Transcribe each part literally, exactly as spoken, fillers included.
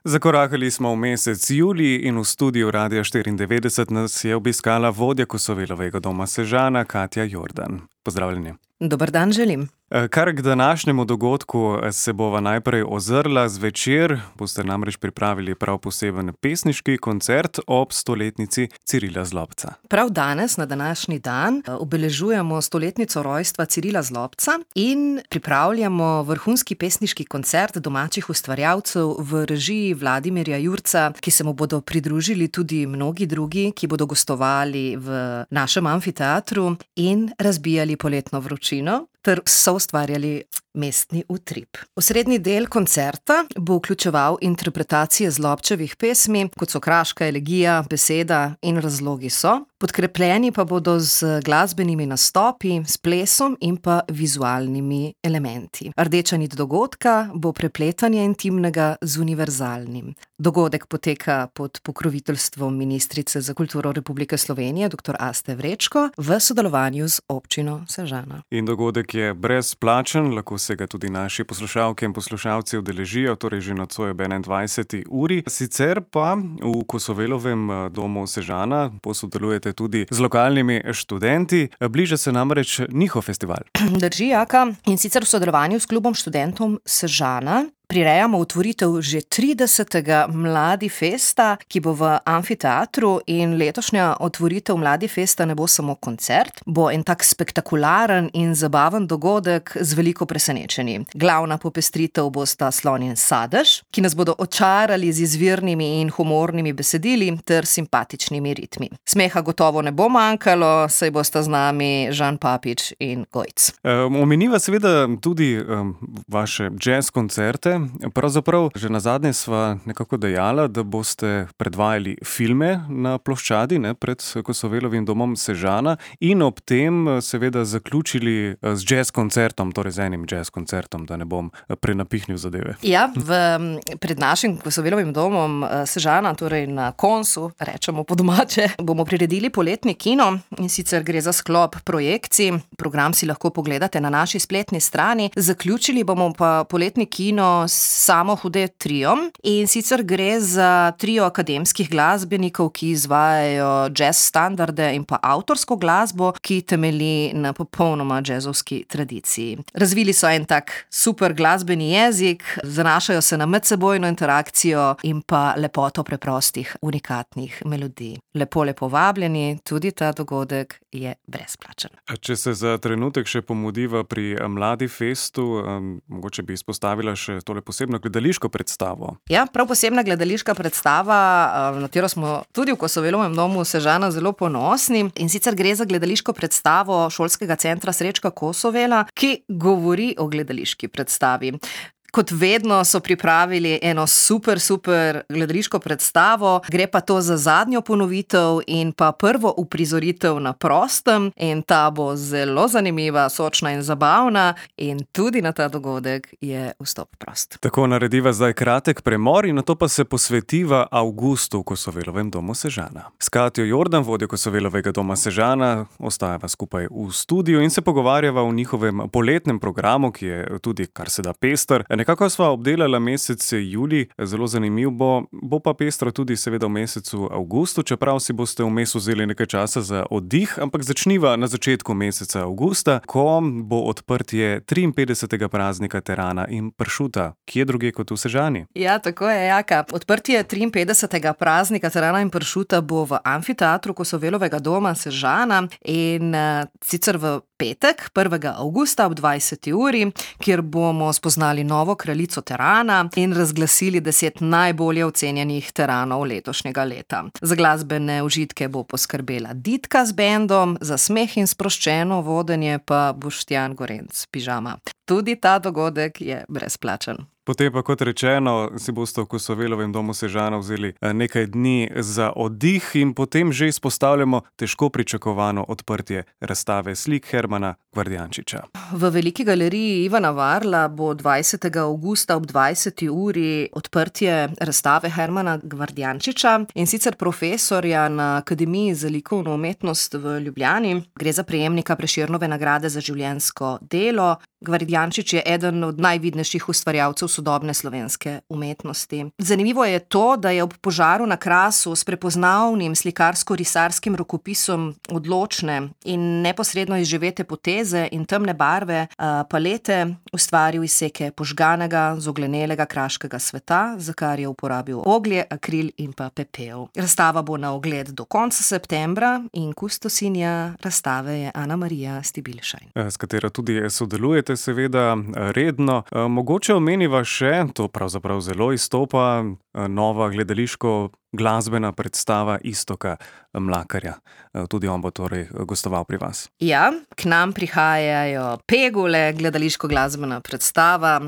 Zakorakali smo v mesec julij in v studiu Radia štiriindevetdeset nas je obiskala vodja Kosovelovega doma Sežana, Katja Jordan. Pozdravljeni. Dober dan želim. Kar k današnjemu dogodku se bova najprej ozrla. Zvečer boste namreč pripravili prav poseben pesniški koncert ob stoletnici Cirila Zlobca. Prav danes, na današnji dan, obeležujemo stoletnico rojstva Cirila Zlobca in pripravljamo vrhunski pesniški koncert domačih ustvarjalcev v režiji Vladimirja Jurca, ki se mu bodo pridružili tudi mnogi drugi, ki bodo gostovali v našem amfiteatru in razbijali poletno vročino ter soustvarjali mestni utrip. Osrednji del koncerta bo vključeval interpretacije Zlobčevih pesmi, kot so Kraška elegija, Beseda in Razlogi so, podkrepljeni pa bodo z glasbenimi nastopi, s plesom in pa vizualnimi elementi. Rdeča nit dogodka bo prepletanje intimnega z univerzalnim. Dogodek poteka pod pokroviteljstvom ministrice za kulturo Republike Slovenije, doktor Aste Vrečko, v sodelovanju z občino Sežana. In dogodek je brezplačen, lahko se ga tudi naši poslušalke in poslušalci udeležijo, torej že nocoj ob enaindvajseti uri. Sicer pa v Kosovelovem domu Sežana posodelujete tudi z lokalnimi študenti. Bliža se namreč njihov festival. Drži, Jaka, in sicer v sodelovanju s klubom študentov Sežana prirejamo otvoritev že tridesetega Mladi festa, ki bo v amfiteatru, in letošnja otvoritev Mladi festa ne bo samo koncert, bo en tak spektakularen in zabaven dogodek z veliko presenečenji. Glavna popestritev bosta Slon in Sadež, ki nas bodo očarali z izvirnimi in humornimi besedili ter simpatičnimi ritmi. Smeha gotovo ne bo manjkalo, saj bosta z nami Žan Papič in Gojc. Um, omeniva seveda tudi um, vaše jazz koncerte. Pravzaprav, že nazadnje sva nekako dejala, da boste predvajali filme na ploščadi, ne, pred Kosovelovim domom Sežana in ob tem seveda zaključili z jazz koncertom, torej z enim jazz koncertom, da ne bom prenapihnil zadeve. Ja, v, pred našim Kosovelovim domom Sežana, torej na koncu, rečemo po domače, bomo priredili poletni kino, in sicer gre za sklop projekcij. Program si lahko pogledate na naši spletni strani. Zaključili bomo pa poletni kino Samo hude triom, in sicer gre za trio akademskih glasbenikov, ki izvajajo jazz standarde in pa avtorsko glasbo, ki temelji na popolnoma jazzovski tradiciji. Razvili so en tak super glasbeni jezik, zanašajo se na medsebojno interakcijo in pa lepoto preprostih, unikatnih melodij. Lepo, lepo vabljeni, tudi ta dogodek je brezplačen. Če se za trenutek še pomudiva pri Mladi festu, um, mogoče bi izpostavila še tole posebno gledališko predstavo. Ja, prav posebna gledališka predstava, na katero smo tudi v Kosovelovem domu Sežana zelo ponosni, in sicer gre za gledališko predstavo Šolskega centra Srečka Kosovela, ki govori o gledališki predstavi. Kot vedno so pripravili eno super, super gledališko predstavo, gre pa to za zadnjo ponovitev in pa prvo uprizoritev na prostem, in ta bo zelo zanimiva, sočna in zabavna, in tudi na ta dogodek je vstop prost. Tako, narediva zdaj kratek premor in nato pa se posvetiva avgustu v Kosovelovem domu Sežana. S Katjo Jordan, vodjo Kosovelovega doma Sežana, ostajava skupaj v studiu in se pogovarjava o njihovem poletnem programu, ki je tudi kar se da pester. Nekako sva obdelala mesec julij, zelo zanimiv bo, bo pa pestro tudi seveda v mesecu avgustu, čeprav si boste vmes vzeli nekaj časa za oddih, ampak začniva na začetku meseca avgusta, ko bo odprtje triinpetdesetega praznika terana in pršuta. Kje druge kot v Sežani? Ja, tako je, Jaka. Odprtje triinpetdesetega praznika terana in pršuta bo v amfiteatru Kosovelovega doma Sežana, in uh, sicer v petek, prvega avgusta ob dvajseti uri, kjer bomo spoznali novo kraljico terana in razglasili deset najbolje ocenjenih teranov letošnjega leta. Za glasbene užitke bo poskrbela Ditka z bendom, za smeh in sproščeno vodenje pa Boštjan Gorenc Pižama. Tudi ta dogodek je brezplačen. Potem pa, kot rečeno, si boste v Kosovelovem domu Sežana vzeli nekaj dni za oddih in potem že izpostavljamo težko pričakovano odprtje razstave slik Hermana Gvardjančiča. V Veliki galeriji Ivana Varla bo dvajsetega avgusta ob dvajseti uri odprtje razstave Hermana Gvardjančiča, in sicer profesorja na Akademiji za likovno umetnost v Ljubljani. Gre za prejemnika Prešernove nagrade za življenjsko delo. Gvardjančič je eden od najvidnejših ustvarjalcev sodobne slovenske umetnosti. Zanimivo je to, da je ob požaru na Krasu s prepoznavnim slikarsko-risarskim rokopisom odločne in neposredno izživete poteze in temne barve palete ustvaril izseke požganega, zoglenelega kraškega sveta, za kar je uporabil oglje, akril in pa pepel. Razstava bo na ogled do konca septembra in kustosinja razstave je Ana Marija Stibilšajn. S katero tudi sodelujete seveda redno. Mogoče omeniva še, to pravzaprav zelo izstopa, nova gledališko glasbena predstava Iztoka Mlakarja. Tudi on bo torej gostoval pri vas. Ja, k nam prihajajo Pegule, gledališko glasbena predstava.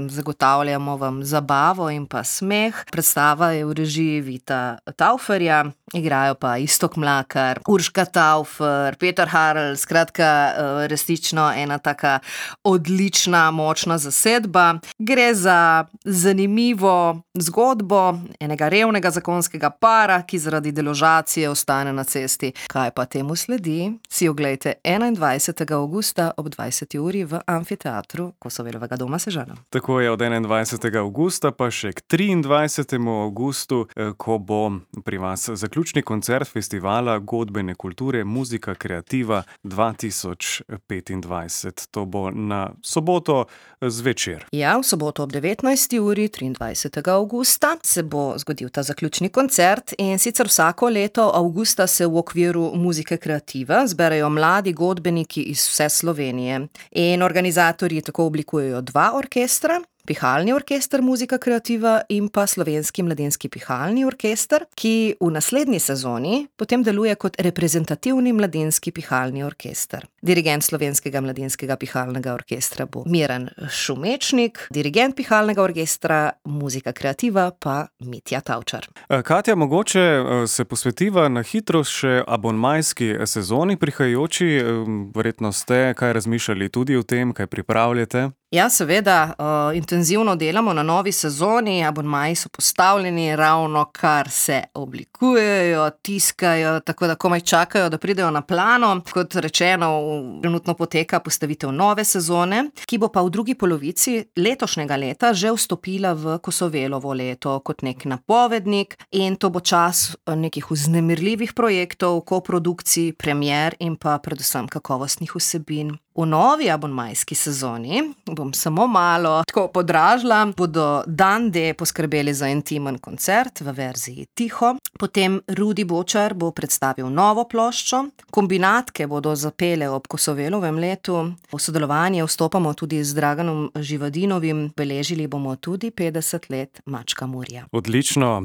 Zagotavljamo vam zabavo in pa smeh. Predstava je v režiji Vita Tauferja, igrajo pa Iztok Mlakar, Urška Taufer, Peter Harl, skratka resnično ena taka odlična, močna zasedba. Gre za zanimivo zgodbo enega revnega zakonskega para, ki zaradi deložacije ostane na cesti. Kaj pa temu sledi, si oglejte enaindvajsetega avgusta ob dvajseti uri v Amfiteatru Kosovelovega doma Sežana. Tako je, od enaindvajsetega avgusta pa še k triindvajsetemu avgustu, ko bo pri vas zaključni koncert festivala godbene kulture Muzika kreativa dva tisoč petindvajset. To bo na soboto zvečer. Ja, v soboto ob devetnajsti uri, triindvajsetega avgusta, se bo zgodil ta zaključni koncert in sicer vsako leto avgusta se v okviru Muzike kreativa zberejo mladi godbeniki iz vse Slovenije in organizatorji tako oblikujejo dva orkestra, Pihalni orkester Muzika kreativa in pa Slovenski mladinski pihalni orkester, ki v naslednji sezoni potem deluje kot reprezentativni mladinski pihalni orkester. Dirigent Slovenskega mladinskega pihalnega orkestra bo Miran Šumečnik, dirigent Pihalnega orkestra Muzika kreativa pa Mitja Tavčar. Katja, mogoče se posvetiva na hitro še abonmajski sezoni prihajajoči. Verjetno ste kaj razmišljali tudi o tem, kaj pripravljate? Ja, seveda, uh, intenzivno delamo na novi sezoni, abonmaji so postavljeni, ravno kar se oblikujejo, tiskajo, tako da komaj čakajo, da pridejo na plano. Kot rečeno, trenutno poteka postavitev nove sezone, ki bo pa v drugi polovici letošnjega leta že vstopila v Kosovelovo leto kot nek napovednik in to bo čas nekih vznemirljivih projektov, koprodukcij, premier in pa predvsem kakovostnih vsebin. V novi abonmajski sezoni, bom samo malo tako podražila, bodo Dan D poskrbeli za intimen koncert v verziji tiho, potem Rudi Bočar bo predstavil novo ploščo, kombinatke bodo zapele ob Kosovelovem letu, v sodelovanje vstopamo tudi z Draganom Živadinovim, beležili bomo tudi petdeset let Mačka Murja. Odlično,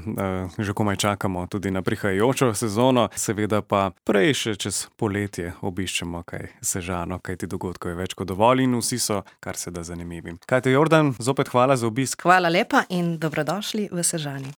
že komaj čakamo tudi na prihajajočo sezono, seveda pa prej še čez poletje obiščemo kaj Sežano, kaj ti dogodkov je več kot dovolj in vsi so kar se da zanimivi. Katja Jordan, zopet hvala za obisk. Hvala lepa in dobrodošli v Sežani.